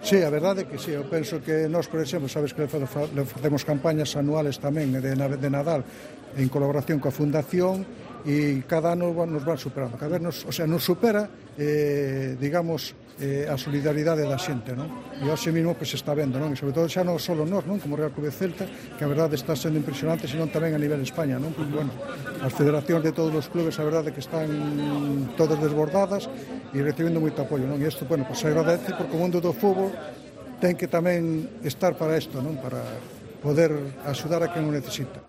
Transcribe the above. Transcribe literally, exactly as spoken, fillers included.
Sí, a verdade é que sí, eu penso que nós, por exemplo, sabes que le facemos campañas anuales tamén de, de Nadal en colaboración coa Fundación e cada ano nos van superando, cada vez nos, o sea, nos supera eh, digamos, eh, a solidaridade da xente, non? E hoxe mesmo que se está vendo, non? E sobre todo xa non só nós, non? Como Real Club de Celta, que a verdade está sendo impresionante, senón tamén a nivel de España, non? Porque, bueno, as federacións de todos os clubes, a verdade que están todas desbordadas e recibendo moito apoio, non? E isto, bueno, pues se agradece porque o mundo do fútbol ten que tamén estar para isto, non? Para poder axudar a quen o necesita.